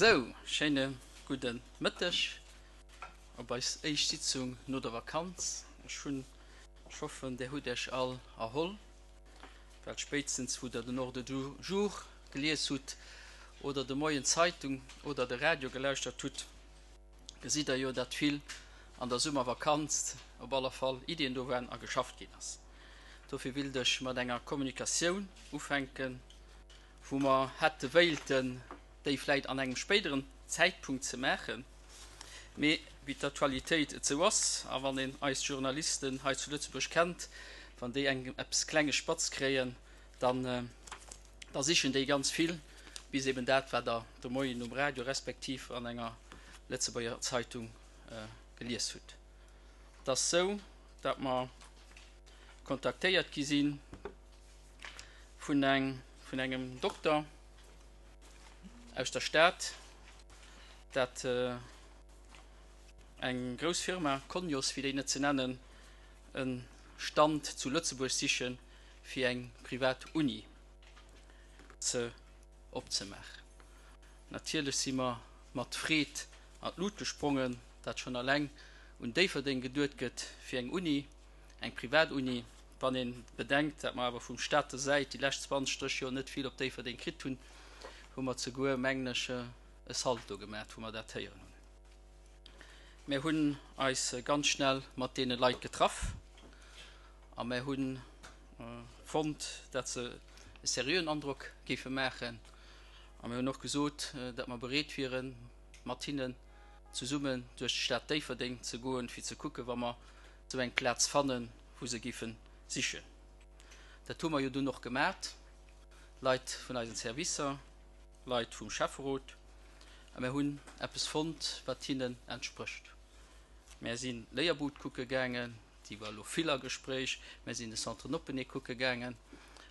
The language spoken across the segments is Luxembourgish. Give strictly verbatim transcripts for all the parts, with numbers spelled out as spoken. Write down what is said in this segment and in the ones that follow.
Sou, schéine gudde Mëtteg op eis éischt Sitzung no der Vakanz. Ech hunn, ech hoffen, Där hutt Iech all erholl, well spéitstens wou Der den Ordre du jour gelies hutt oder de Moien d'Zeitung oder de Radio gelauschtert hutt, gesitt Der jo, datt vill an der Summervakanz op alle Fall Iddien do waren a geschafft ginn ass. Dofir willt ech mat enger Kommunikatioun ufänken, wou mer hätte wéilten, déi vläit an engem spéideren Zäitpunkt ze maachen, mee wéi d'Aktualitéit et sou ass, a wann een eis Journalisten hei zu Lëtzebuerg kennt, wann déi eng eppes klenge Spatz kréien, dann da sichen déi ganz vill, bis eben dat, wat Der de Moien um Radio respektiv an enger Lëtzebuerger Zeitung gelies hutt. Et ass sou, datt mer kontaktéiert gi si vun eng vun engem Dokter aus der Stad, dat eng grouss Firma, Cognos fir déi net ze nennen, e Stand zu Lëtzebuerg siche fir eng privat Uni ze opzemaachen. Natierlech si mer mat Freed an d'Lut gesprongen, dat schonn alleng un Déifferdeng geduet gëtt fir eng Uni, eng privat Uni. Wann ee bedenkt, dat mer awer vum Stater Säit déi lescht zwanzeg, drësseg Joer net vill op Déifferdeng kritt hunn, hu mer zeguer, mengen ech, e Salto gemat, wou mer dat héieren hunn. Mär hunn eis ganz schnell mat deene Leit getraff a mär hu fonnt, dat se e seriöen Androck géife maachen. A mir hunn och gesot, dat mer bereet wieren, mat hinnen zesummen duerch d'Stad Déifferdeng ze goen, fir ze kucken, wa mer esou eng Plaz fannen, wou se géife sichen. Dat hu mer jo dunn och gemat, Leit vun eisen Servicer, Leit vum Schäfferot, a mir hunn eppes fonnt, wat hinnen entsprécht. Mär si Léierbud kucke gaangen, déi war elo vill a Gespréich, mär sinn de Centre Noppenee kucke gaangen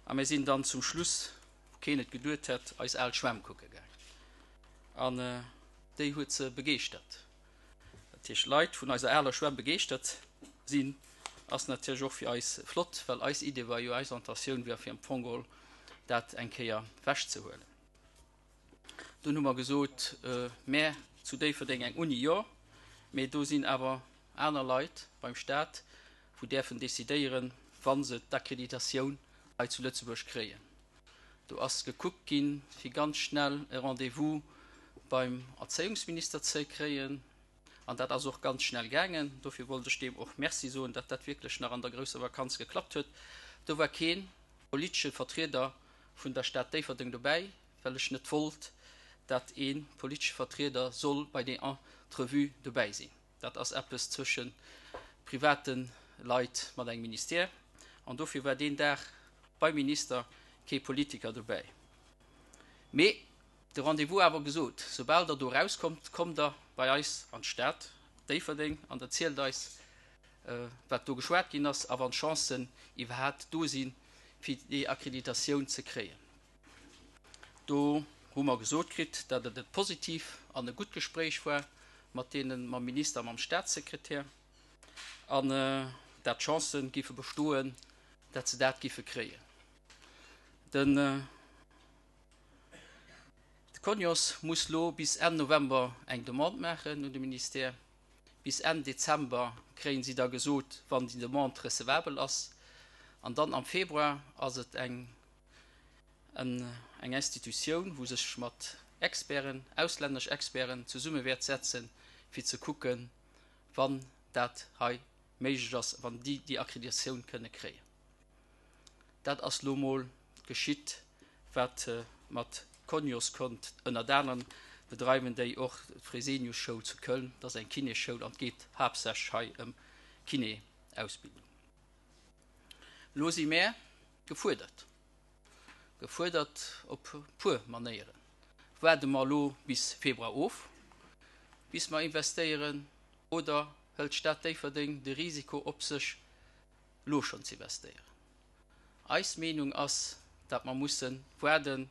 a mär sinn dann zum Schluss, wou keen et geduet hätt, eis al Schwämm kucke gaangen. An déi huet se begeeschtert. Dat heescht, Leit vun eiser aler Schwämm begeeschtert sinn, ass natierlech och fir eis flott, well eis Idee war jo, eis Intentioun war fir am Fong geholl dat eng Kéier wechzehuelen. Dunn hu mer gesot, Mä zu Déifferdeng eng Uni, jo, mee do sinn awer aner Leit beim Stat, wou däerfen decidéieren, wa se d'Akkreditatioun hei zu Lëtzebuerg kréien. Do ass gekuckt ginn, fir ganz schnell e Rendez-vous beim Erzéiungsminister ze kréien, an dat ass och ganz schnell gaangen. Dofir wollt ech deem och Merci soen, datt dat wierklech nach an der grousser Vakanz geklappt huet. Do war kee politesche Vertrieder vun der Stad Déifferdeng dobäi, well ech net wollt, datt ee politesche Vertrieder soll bei där Entrevue dobäi sinn. Dat ass eppes zwësche private Leit mat engem Ministère, an dofir war deen Dag beim Minister kee Politiker dobäi. Mee de Rendez-vous awer gesot, soubal Der do erauskommt, kommt Der bei eis an d'Stad Déifferdeng an erzielt eis, wat do geschwat ginn ass a wann d'Chancen iwwerhaapt do sinn, fir déi Akkreditatioun ze kréien. Do hu mer gesot kritt, datt et e positiv an e gutt Gespréich war mat deenen, mam Minister a mam Statssekretär, an dat d'Chancë géife bestoen, dat se dat géife kréien. Den Cognos muss lo bis Enn November eng Demande maachen un de Ministère. Bis Enn Dezember kréien si da gesot, wann déi Demande recevabel ass. An dann am Februar ass et eng eng Institutioun, wou sech mat Experten, auslännesch Experten zesumme wäert setzen, fir ze kucken, wann dat hei méiglech ass, wann déi déi Akkreditatioun kënne kréien. Dat ass lo mol geschitt, wat mat Cognos konnt. Ënnert anerem bedreiwen déi och d'Fresenius-Schoul zu Köln. Dat ass eng Kinésschoul an et geet haaptsächlech hei ëm Kiné Ausbildung. Elo si mär gefuerdert, gefuerdert op puer Manéieren. Waarde mer elo bis Februar of, bis mer investéieren, oder hëlt d'Stad Déifferdeng de Risiko op sech, elo schonn ze investéieren? Eis Meenung ass, dat mer musse waarden,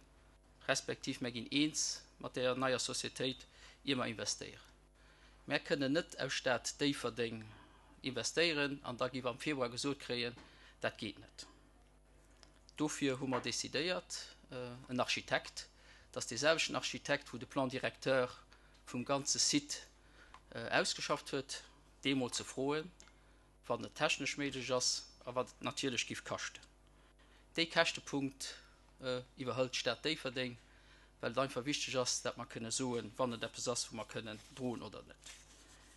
respektiv mer ginn eens mat där neier Societéit, ier mer investéieren. Mer kënnen net aus Stad Déifferdeng investéieren an da gi mer am Februar gesot kréien, dat geet net. Dofir hu mer decidéiert, en Architekt, dat ass dee selwechten Architekt, wou de Plan directeur vum ganze Site ausgeschafft huet, dee mol ze froen, wann et technesch méiglech ass a wat et natierlech giff kaschten. Dee Käschtepunkt iwwerhëlt d'Stad Déifferdeng, well et einfach wichteg ass, dat mer kënne soen, wann et eppes ass, wou mer kënnen droen oder net.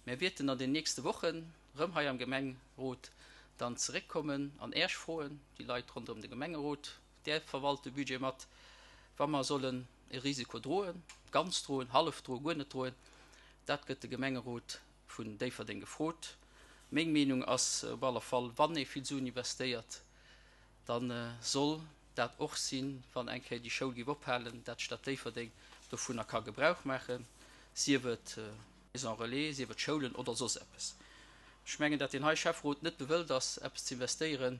Mär wierten an den nächste Wochen erëm hei am Gemengerot dann zeréckkommen an Äerch froen, déi Leit ronderëm de Gemengerot, där verwalt de Budget mat, wa mer sollen e Risiko droen, ganz droen, hallef droen, guer net droen. Dat gëtt de Gemengerot vun Déifferdeng gefrot. Meng Meenung ass op alle Fall, wann ee vill Suen investéiert, da soll dat och sinn, wann eng Kéier déi Schoul géif ophalen, dat d'Stad Déifferdeng dovunner ka Gebrauch maachen, sief et Maison relais, sief et Schoulen oder soss eppes. Ech mengen, dat deen hei Schäfferot net bewëllt ass, eppes ze investéieren,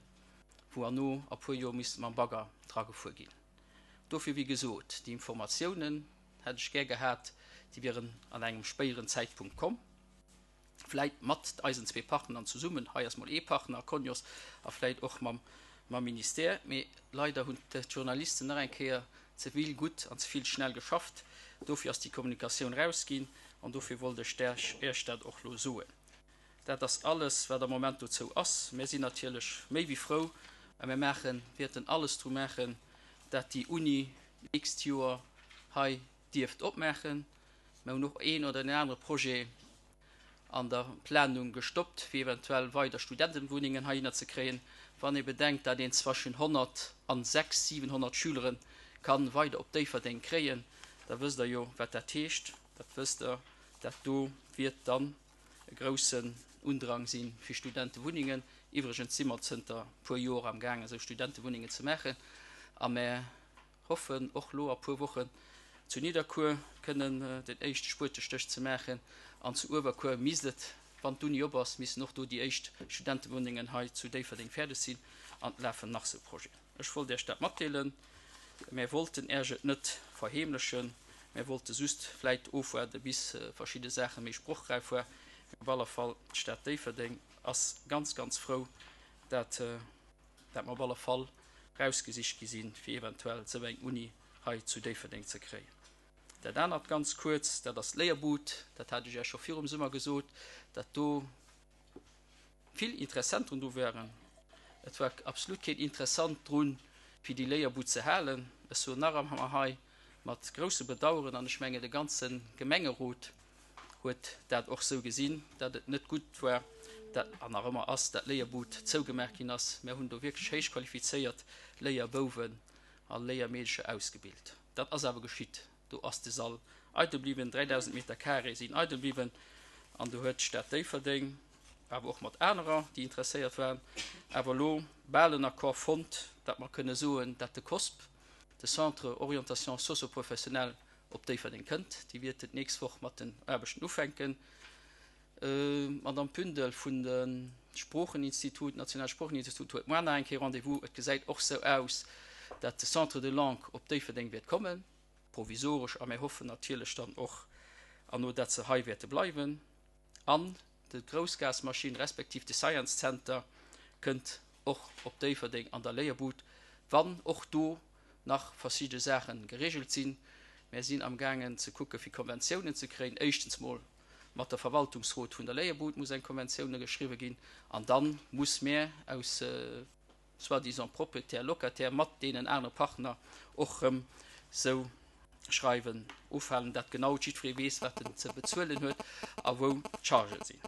wou herno a puer Joer misst mam Bagger dra gefuer ginn. Dofir, wéi gesot, déi Informatiounen hätt ech gär gehat, déi wieren an engem spéieren Zäitpunkt komm, vläit mat eisen zwee Partnern zesummen, hei ass mol ee Partner, Cognos, a vläit och mam mam Ministère. Mee leider hunn d'Journalisten nach eng Kéier ze vill gutt an ze vill schnell geschafft. Dofir ass déi Kommunikatioun rausginn an dofir wollt ech Iech dat och elo soen. Dat ass alles, wat am Moment dozou ass. Mir sinn natierlech méi wéi frou a mir maachen, wäerten alles dru maachen, dat déi Uni d'nächst Joer hei dierft opmaachen. Mir hunn och een oder deen anere Projet an der Planung gestoppt, fir eventuell weider Studentenwunnengen heihinner ze kréien. Wann ee bedenkt, dat een zwëschen honnert an sechs, siwenhonnert Schülere ka weider op Déifferdeng kréien, da wësst Der jo, wat dat heescht. Dat wësst Der, dat do wiert dann e groussen Undrang si fir Studentewunnengen. Iwwregens si mer zënter puer Joer amgaangen, esou Studentewunnengen ze maachen a mer hoffen och lo a puer Wochen zu Nidderkuer kënnen den éischte Spuetestéch ze maachen an zu Uewerkuer misst et, wann d'Uni op ass, missen och do déi éischt Studentewunnengen hei zu Déifferdeng fäerdeg sinn an et lafen nach sou Projeten. Ech wollt Iech dat matdeelen. Mär wollten Äerch et net verheemlechen, mär wollte just vläit ofwaarde bis verschidde Saache méi sprochräif war. Mee op alle Fall, d'Stad Déifferdeng ass ganz, ganz frou, dat dat mer op alle Fall rausgesicht gi sinn, fir eventuell esou eng Uni hei zu Déifferdeng ze kréien. Dat anert ganz kuerz, dat ass d'Léierbud. Dat hat ech Iech scho virum Summer gesot, dat do vill Interessenten dru waren. Et war absolut keen Interessant drun, fir déi Léierbud ze halen. Ech soen nach emmer hei mat groussem Bedauern, an ech mengen de ganze Gemengerot huet dat och sou gesinn, dat et net gutt war, dat, an nach ëmmer ass, dat d'Léierbud zougemaach ginn ass. Mär hunn do wierklech héich qualifizéiert Léierbouwen a Léiermeedecher ausgebilt. Dat ass awer geschitt. Do ass de Sall eidel bliwwen, dräidausend Meter carré sinn eidel bliwwen an do huet d'Stad Déifferdeng, awer och mat anerer, déi interesséiert waren, awer elo bal en Accord fonnt, dat mer kënne soen, dat de COSP, de Centre Orientation Socio-Professionnelle, op Déifferdeng kënnt. Déi wäerten d'nächst Woch mat den Aarbechten ufänken. D'Madame Pündel vun de Sproocheninstitut, Nationale Sproocheninstitut, huet muer nach eng Kéier Rendez-vous. Et gesäit och sou aus, dat de Centre de langue op Déifferdeng wäert kommen, provisoresch, a mir hoffen natierlech dann och herno, dat se hei wäerte bleiwen. An de Groussgasmaschinn respektiv de Science Center kënnt och op Déifferdeng an der Léierbud, wann och do nach verschidde Saache geregelt sinn. Mär sinn amgaangen ze kucke fir Konventiounen ze kréien. Éischtens mol mat der Verwaltungsrot vun der Léierbud muss eng Konventioune geschriwwe ginn an da muss mär aus soi-disant Propriétaire, Locataire mat deenen anere Partner och rëm sou Schreiwen ofhalen, dat genau jiddweree weess, wat en ze bezuelen huet a wou d'Chargen sinn.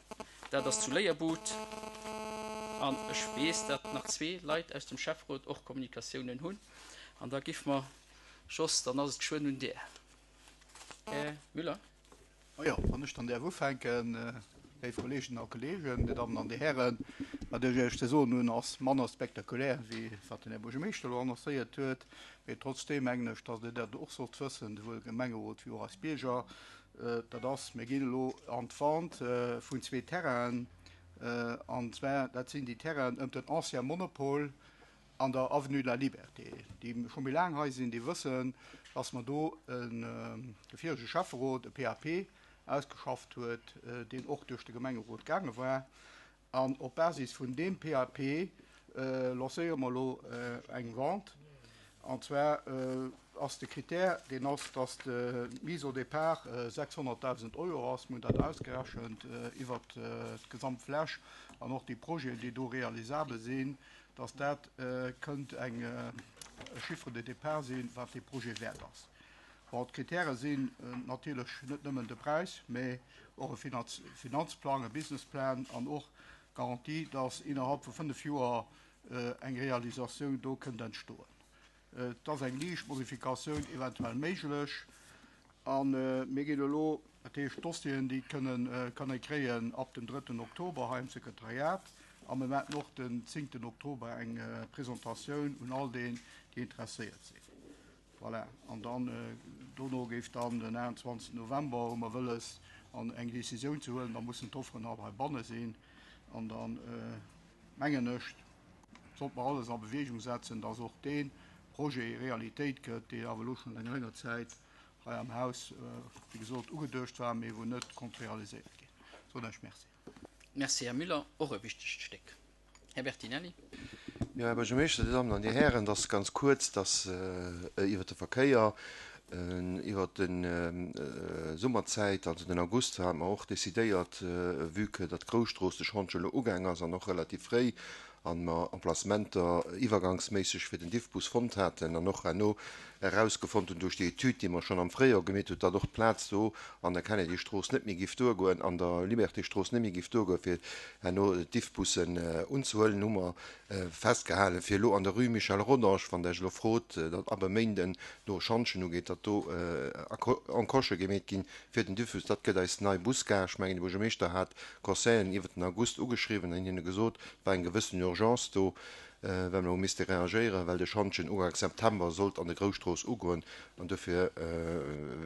Dat ass zu Léierbud. An ech weess, dat nach zwee Leit aus dem Schäfferot och Kommunikatiounen hunn. An da giff mer, Jos, dann ass et geschwënn un där. Här Müller. Majo, wann ech dann däerf ufänken, léif Kolleeginnen a Kolleegen, Dir Dammen an Dir Hären, Wat ech Iech ze soen hunn, ass manner spektakulär, wéi wat den Här Buergermeeschter elo annoncéiert huet. Mee trotzdeem mengen ech, dass Dir dat och sollt wëssen, souwuel de Gemengerot wéi och eis Bierger. Dat ass, mir ginn elo an d'Vente vun zwee Terrainen. An zwar, dat sinn déi Terrainen ëm den Ancien Monopol an der Avenue de la Liberté. Déi scho méi laang hei sinn, déi wëssen, dass mer do en, de virege Schäfferot e PAP ausgeschafft huet, deen och duerch de Gemengerot gaange war. An op Basis vun deem PAP lancéiere mer elo eng Vente. An zwar ass de Kritär, deen ass, dass d'Mise au départ sechshonnertdausend Euro ass. Mir hunn dat ausgerechent iwwert d'gesamt Fläch an och déi Projeten, déi do realisabel sinn, dass dat kënnt eng e Chiffre de départ sinn, wat dee Projet wäert ass. Bon, d'Kritäre sinn natierlech net nëmmen de Präis, mä och e Finanzplang, e Businessplan an och d'Garantie, dass innerhalb vu fënnef Joer eng Realisatioun do kënnt entstoen. Et ass eng liicht Modifikatioun eventuell méiglech a mir ginn elo, dat heescht d'Dossieren, déi kënnen, kann ee kréien ab dem drëtten Oktober hei am Sekretariat a mir maachen och den zéngten Oktober eng Presentatioun un all déi, déi interesséiert sinn. Voilà, an dann dono géif dann den aachtundzwanzegsten November, hu mer wëlles, an eng Décisioun ze huelen, da mussen d'Offeren all heibanne sinn an dann, mengen ech, sollt mer alles a Bewegung setzen, dass och dee Projet Realitéit gëtt, deen awer elo schonn eng länger Zäit hei am Haus, wéi gesot, ugeduecht war, mee wou net konnt realiséiert ginn. Soen ech Merci. Merci, Här Müller. Och e wichtegt Stéck. Här Bertinelli. Jo, Här Buergermeeschter, Dir Dammen an Dir Hären, et ass ganz kuerz, dass iwwert de Verkéier, iwwert de Summerzäit, also den August, hate mer och decidéiert, vue que datt d'Grousstrooss de Schantje elo ugaang ass an och relativ fréi, a mer Emplacementer iwwergangsméisseg fir den Diffbus fonnt haten an och herno erausgefonnt hunn duerch déi Etüd, déi mer schonn am Fréijoer gemeet hunn, datt och d'Plaz do an der Kennedy-Strooss net méi giff duergoen, an der Liberté-Strooss net méi giff duergoen, fir herno d'Diffbussen unzehuelen, hu mer festgehalen, fir elo an der Rue Michel Rodange, wann Der Iech elo frot, datt ab e Méinden do e Schantjen ugeet, datt do Encoche gemeet ginn fir den Diffbus. Dat gëtt eis nei Busgare. Ech mengen, de Buergermeeschter hat d'Conseilleren iwwert den August ugeschriwwen an hinne gesot, et war eng gewëssen Urgence do, well mer hu misste reagéieren, well de Schantjen Uganks September sollt an der Grousstrooss ugoen. An dofir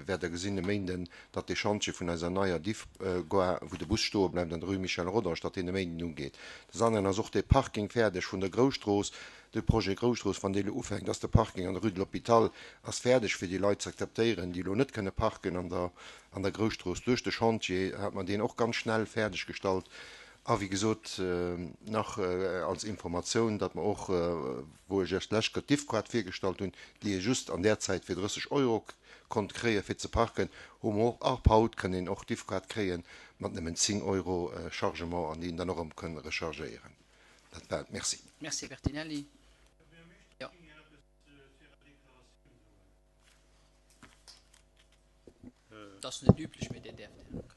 wäert Der gesinn e Méinden, datt dee Schantje vun eiser neier Diffgare, wou de Bus stoe bleift an der Rue Michel Rodange, datt deen e Méinden ugeet. Des aneren ass och dee Parking fäerdeg vun der Grousstrooss, de Projet Grousstrooss, wann dee elo ufänkt, ass de Parking an der Rue de l'Hôpital ass fäerdeg, fir déi Leit ze akzeptéieren, déi elo net kënne parken an der an der Grousstrooss. Duerch de Chantier hat mer deen och ganz schnell fäerdeg gestallt. A wéi gesot, nach als Informatioun, datt mer och, wou ech Iech d'lescht Kéier d'Diffquart virgestallt hunn, déi ee just an där Zäit fir drësseg Euro konnt kréien, fir ze parken, hu mer och ab haut kënn een och d'Diffquart kréie mat nëmmen zéng Euro Chargement an déi een dann och erëm kënn rechargéieren. Dat war et. Merci. Merci, Här Bertinelli. Jo. Dat ass net üblech, mee Dir däerft, Här Ruckert.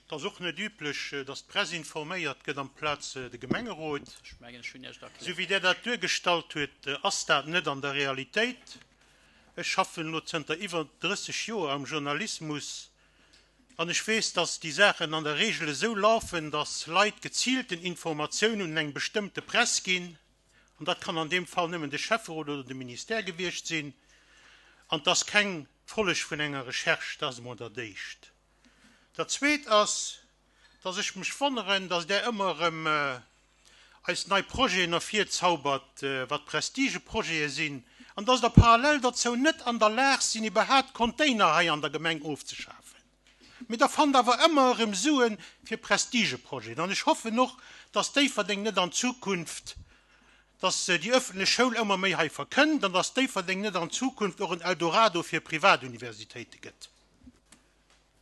Et ass och net üblech, dass d'Press informéiert gëtt amplaz de Gemengerot. Ech mengen, ech hunn Iech et erkläert. Esou wéi Der dat duergestallt huet, ass dat net an der Realitéit. Ech schaffen elo zënter iwwer drësseg Joer am Journalismus an ech weess, dass déi Saachen an der Regel esou lafen, dass Leit geziilten Informatiounen un eng bestëmmte Press ginn, an dat kann an deem Fall nëmmen de Schäfferot oder de Ministère gewiescht sinn, an 't ass keng Folleg vun enger Recherche. Dat ass emol dat Éischt. Dat Zweet ass, dass ech mech wonneren, dass Der ëmmer erëm eis nei Projeten ervirzaubert, wat Prestigeprojete sinn, an dass Der parallel derzou net an der Lag sinn, iwwerhaapt Container hei an der Gemeng ofzeschafen. Mee Der fannt awer ëmmer erëm Sue fir Prestigeprojeten. An ech hoffen och, dass Déifferdeng net an Zukunft, dass déi öffentlech Schoul ëmmer méi hei verkënnt an dass Déifferdeng net an Zukunft och en Eldorado fir Privatuniversitéite gëtt.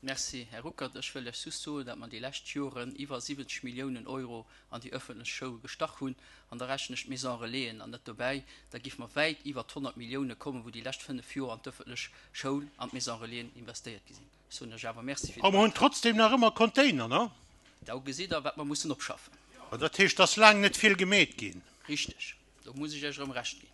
Merci, Här Ruckert. Ech wëll lech just soen, datt mer déi lescht Joren iwwer siwwenzeg Milliounen Euro an déi öffentlech Schoul gestach hunn. An da rechnen ech d'Maison Relaisen an net dobäi. Da géife mer wäit iwwer d'honnert Millioune kommen, wou déi lescht fënnef Joer an d'öffentlech Schoul, an d'Maison Relaisen investéiert gi sinn. Ech soen lech awer Merci fir A de mer hunn Beitrag. trotzdem nach ëmmer Container, ne? Da gesitt Der, wat mer mussen opschaffen. Dat heescht, et ass laang net vill gemeet ginn. Richteg. Do muss ech Iech erëm Recht ginn.